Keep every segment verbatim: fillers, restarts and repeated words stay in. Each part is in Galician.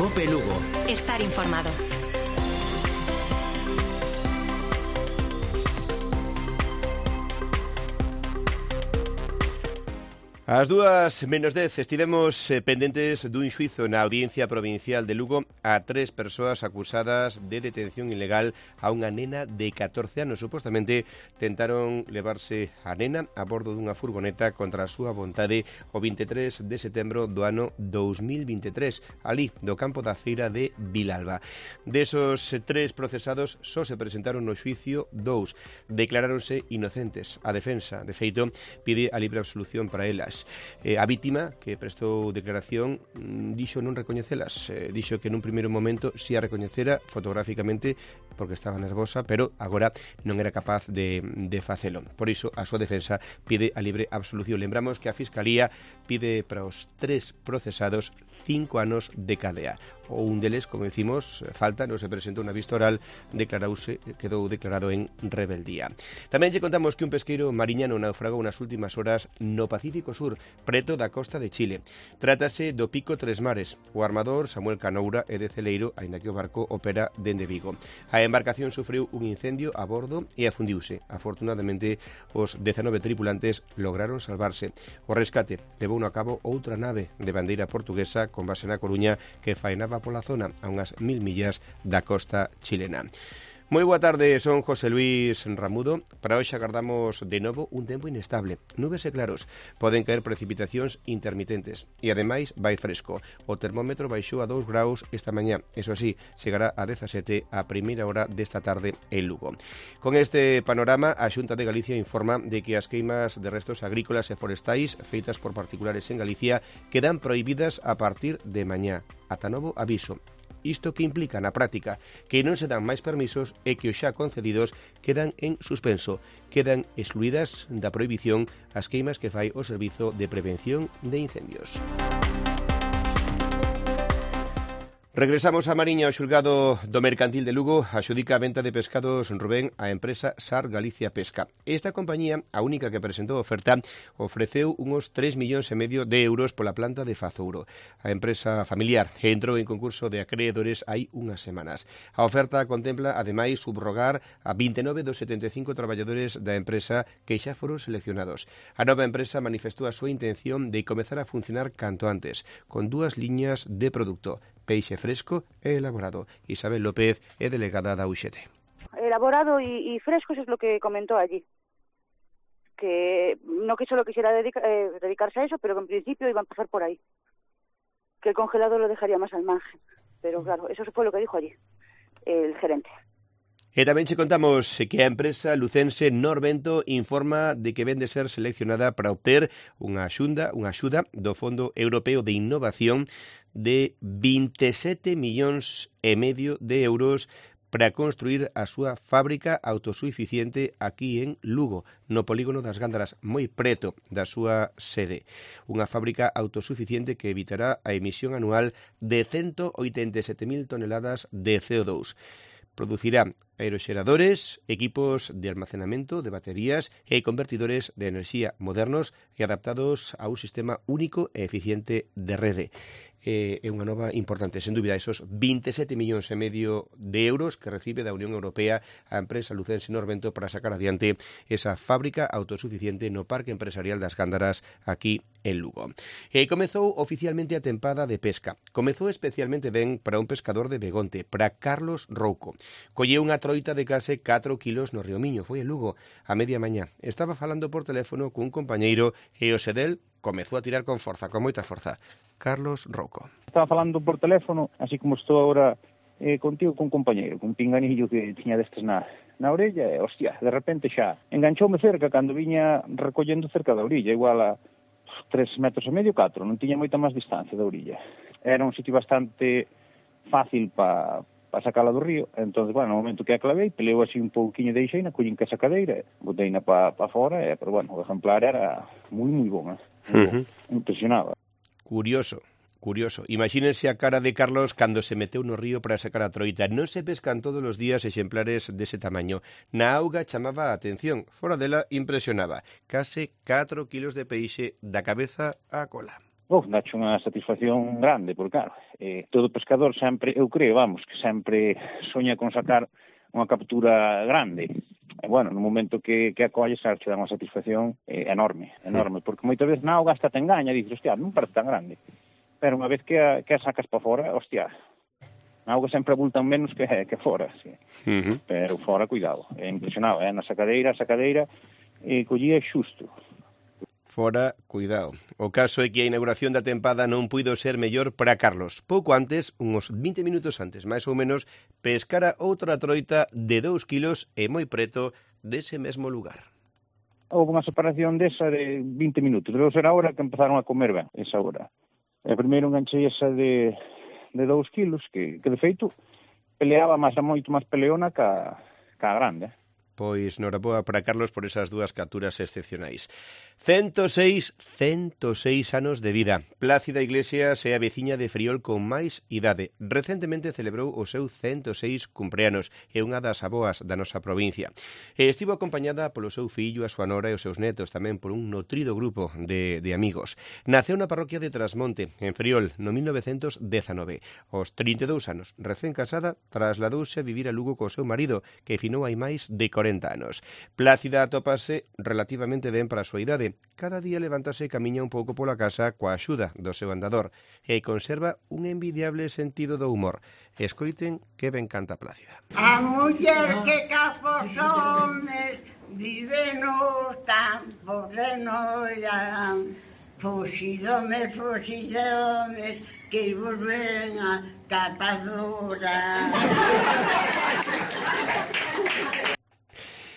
COPE Lugo. Estar informado. Ás dúas menos dez estivemos eh, pendentes dun xuizo na Audiencia Provincial de Lugo a tres persoas acusadas de detención ilegal a unha nena de catorce anos. Supostamente tentaron levarse a nena a bordo dunha furgoneta contra a súa vontade o vinte e tres de setembro do ano dous mil vinte e tres, ali do campo da feira de Vilalba. Desos tres procesados só se presentaron no xuicio dous. Declaráronse inocentes. A defensa, de feito, pide a libre absolución para elas. Eh, a vítima, que prestou declaración, dixo non recoñecelas. Eh, dixo que nun primeiro momento si a recoñecera fotográficamente porque estaba nervosa, pero agora non era capaz de, de facelo. Por iso, a súa defensa pide a libre absolución. Lembramos que a Fiscalía pide para os tres procesados cinco anos de cadea. O un deles, como decimos, falta, non se presentou na vista oral, declarouse, quedou declarado en rebeldía. Tamén lle contamos que un pesqueiro mariñano naufragou nas últimas horas no Pacífico Sur, preto da costa de Chile. Trátase do Pico Tres Mares. O armador Samuel Canoura é de Celeiro, aínda que o barco opera dende Vigo. A embarcación sufriu un incendio a bordo e afundiuse. Afortunadamente, os dezanove tripulantes lograron salvarse. O rescate levou a cabo outra nave de bandeira portuguesa con base na Coruña que faenaba pola zona a unhas mil millas da costa chilena. Moi boa tarde, son José Luis Ramudo. Para hoxe agardamos de novo un tempo inestable. Nubes e claros, poden caer precipitacións intermitentes e ademais vai fresco. O termómetro baixou a dous graus esta mañá. Eso sí, chegará a dezasete a primeira hora desta tarde en Lugo. Con este panorama, a Xunta de Galicia informa de que as queimas de restos agrícolas e forestais feitas por particulares en Galicia quedan prohibidas a partir de mañá. Ata novo aviso. Isto que implica na práctica que non se dan máis permisos e que os xa concedidos quedan en suspenso. Quedan excluídas da prohibición as queimas que fai o Servizo de Prevención de Incendios. Regresamos a Mariña. O xulgado do Mercantil de Lugo axudica a venta de pescados Rubén á empresa Sar Galicia Pesca. Esta compañía, a única que presentou oferta, ofreceu unos tres millóns e medio de euros pola planta de Fazouro. A empresa familiar entrou en concurso de acreedores hai unhas semanas. A oferta contempla, ademais, subrogar a vinte e nove dos setenta e cinco traballadores da empresa que xa foron seleccionados. A nova empresa manifestou a súa intención de comezar a funcionar canto antes, con dúas liñas de produto: peixe fresco e elaborado. Isabel López é delegada da U X T. Elaborado y, y fresco, eso es lo que comentó allí. Que no que solo quisiera dedica, eh, dedicarse a eso, pero que en principio iba a empezar por ahí. Que el congelado lo dejaría más al margen. Pero claro, eso fue lo que dijo allí el gerente. E tamén che contamos que a empresa lucense Norvento informa de que vende ser seleccionada para obter unha axuda, unha axuda do Fondo Europeo de Innovación de vinte e sete millóns e medio de euros para construir a súa fábrica autosuficiente aquí en Lugo, no polígono das Gándaras, moi preto da súa sede. Unha fábrica autosuficiente que evitará a emisión anual de ciento oitenta e sete mil toneladas de C O dos. Producirá aeroxeradores, equipos de almacenamento de baterías e convertidores de enerxía modernos e adaptados a un sistema único e eficiente de rede. É unha nova importante, sen dúbida, esos vinte e sete millóns e medio de euros que recibe da Unión Europea a empresa lucense Norvento para sacar adiante esa fábrica autosuficiente no Parque Empresarial das Gándaras aquí en Lugo. E comezou oficialmente a tempada de pesca. Comezou especialmente ben para un pescador de Begonte, para Carlos Rouco. Colleu unha troita de case catro kilos no Río Miño, foi en Lugo, a media mañá. Estaba falando por teléfono cun compañeiro e o sedel comezou a tirar con forza, con moita forza. Carlos Rouco. Estaba falando por teléfono, así como estou agora eh, contigo, con un compañeiro, con un pinganillo que tiña destes na, na orella, e, hostia, de repente xa enganchoume cerca cando viña recollendo cerca da orilla, igual a tres metros e medio, catro, non tiña moita máis distancia da orilla. Era un sitio bastante fácil para pa sacala do río, entón, bueno, no momento que a clavei, peleu así un pouquiño de ixeina, collín que a sacadeira, boteina pa, pa fora, e, pero bueno, o exemplar era moi, moi bon, eh? Uh-huh. Impresionaba. Curioso, curioso. Imagínense a cara de Carlos cando se meteu no río para sacar a troita. Non se pescan todos os días exemplares dese tamaño. Na auga chamaba a atención, fora dela impresionaba. Case catro kilos de peixe da cabeza á cola. Oh, dache unha satisfacción grande, porque claro, eh, todo pescador sempre, eu creo, vamos, que sempre soña con sacar unha captura grande. E, bueno, no momento que, que acolles, sabes, te dá unha satisfacción eh, enorme, enorme, porque moitas veces na auga hasta te engaña, dices, hostia, non parece tan grande. Pero unha vez que a, que a sacas para fora, hostia, na auga sempre abultan menos que, que fora, sí. Uh-huh. Pero fora, cuidado, é impresionado, eh? Na sacadeira, a sacadeira, eh, collía xusto. Fora, cuidado. O caso é que a inauguración da tempada non puido ser mellor para Carlos. Pouco antes, uns vinte minutos antes, máis ou menos, pescara outra troita de dous kilos e moi preto dese mesmo lugar. Houve unha separación desa de vinte minutos, debe ser a hora que empezaron a comer ben, esa hora. E primeiro enganchei esa de, de dous kilos, que, que de feito peleaba máis a moito máis peleona ca, ca grande. Pois noraboa para Carlos por esas dúas capturas excepcionais. cento seis, cento seis anos de vida. Plácida Iglesias é a veciña de Friol con máis idade. Recentemente celebrou o seu cento seis cumpleanos e unha das aboas da nosa provincia. E estivo acompañada polo seu fillo, a súa nora e os seus netos, tamén por un nutrido grupo de, de amigos. Naceu na parroquia de Trasmonte, en Friol, no mil novecentos dezanove. Aos trinta e dous anos, recén casada, trasladouse a vivir a Lugo co seu marido, que finou hai máis de corenta anos. Plácida atópase relativamente ben para a súa idade. Cada día levántase e camiña un pouco pola casa coa axuda do seu andador e conserva un envidiable sentido do humor. Escoiten que ben canta Plácida. A muller que capos homes vive nos campos de noia. Fuxidome, fuxidome, que volven a catadora.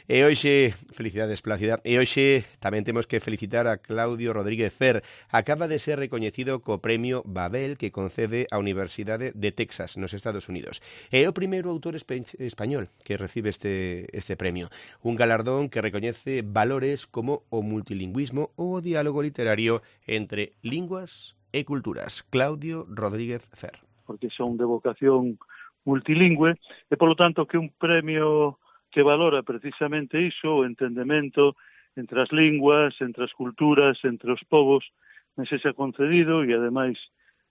E hoxe, felicidades Plácida, e hoxe tamén temos que felicitar a Claudio Rodríguez Fer. Acaba de ser recoñecido co premio Babel que concede a Universidade de Texas, nos Estados Unidos. É o primeiro autor espe- español que recibe este, este premio. Un galardón que recoñece valores como o multilingüismo ou o diálogo literario entre linguas e culturas. Claudio Rodríguez Fer. Porque son de vocación multilingüe e, polo tanto, que un premio que valora precisamente iso, o entendemento entre as linguas, entre as culturas, entre os povos, me sexa concedido e, ademais,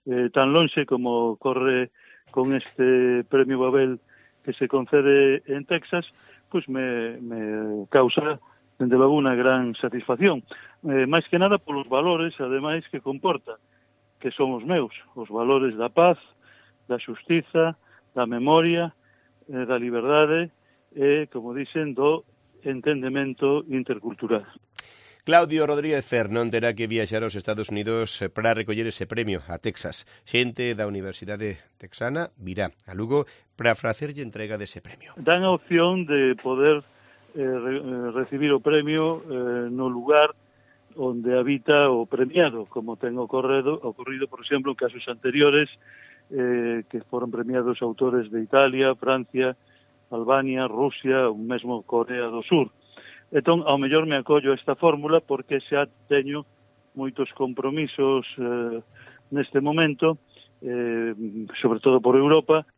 eh, tan lonxe como corre con este premio Babel que se concede en Texas, pois me, me causa, dende logo, unha gran satisfacción. Eh, máis que nada polos valores, ademais, que comporta, que son os meus, os valores da paz, da xustiza, da memoria, eh, da liberdade, e, como dicen, do entendemento intercultural. Claudio Rodríguez Fer non terá que viaxar aos Estados Unidos para recoller ese premio a Texas. Xente da Universidade Texana virá a Lugo para facerlle entrega dese premio. Dan a opción de poder eh, re, recibir o premio eh, no lugar onde habita o premiado, como ten ocorrido, ocorrido por exemplo, en casos anteriores, eh, que foron premiados autores de Italia, Francia, Albania, Rusia, ou mesmo Corea do Sur. Entón, ao mellor me acollo a esta fórmula porque xa teño moitos compromisos eh, neste momento, eh, sobre todo por Europa.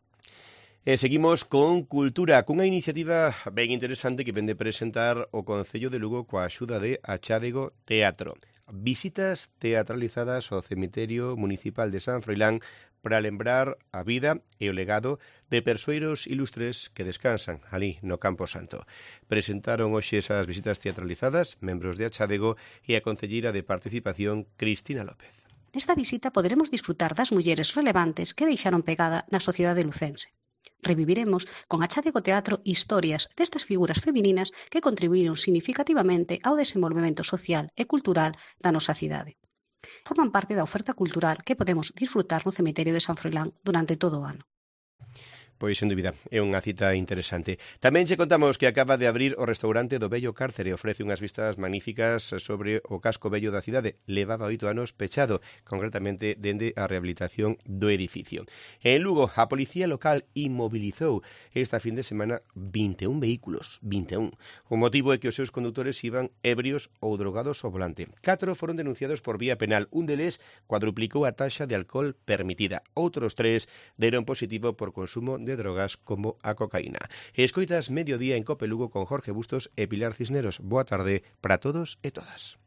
E seguimos con cultura, cunha iniciativa ben interesante que vende presentar o Concello de Lugo coa axuda de Achádego Teatro. Visitas teatralizadas ao cemiterio municipal de San Froilán para lembrar a vida e o legado de persoeiros ilustres que descansan ali no Campo Santo. Presentaron hoxe esas visitas teatralizadas membros de Achádego e a concelleira de Participación, Cristina López. Nesta visita poderemos disfrutar das mulleres relevantes que deixaron pegada na sociedade lucense. Reviviremos con Achádego Teatro historias destas figuras femininas que contribuíron significativamente ao desenvolvemento social e cultural da nosa cidade. Forman parte da oferta cultural que podemos disfrutar no cemiterio de San Froilán durante todo o ano. Pois, sen dúbida, é unha cita interesante. Tamén che contamos que acaba de abrir o restaurante do Vello Cárcere. Ofrece unhas vistas magníficas sobre o casco vello da cidade. Levaba oito anos pechado, concretamente dende a rehabilitación do edificio. En Lugo, a policía local inmobilizou esta fin de semana vinte e un vehículos. vinte e un. O motivo é que os seus condutores iban ebrios ou drogados ao volante. Catro foron denunciados por vía penal. Un deles cuadruplicou a taxa de alcohol permitida. Outros tres deron positivo por consumo de drogas como a cocaína. Escoitas Mediodía en Cope Lugo con Jorge Bustos e Pilar Cisneros. Boa tarde para todos e todas.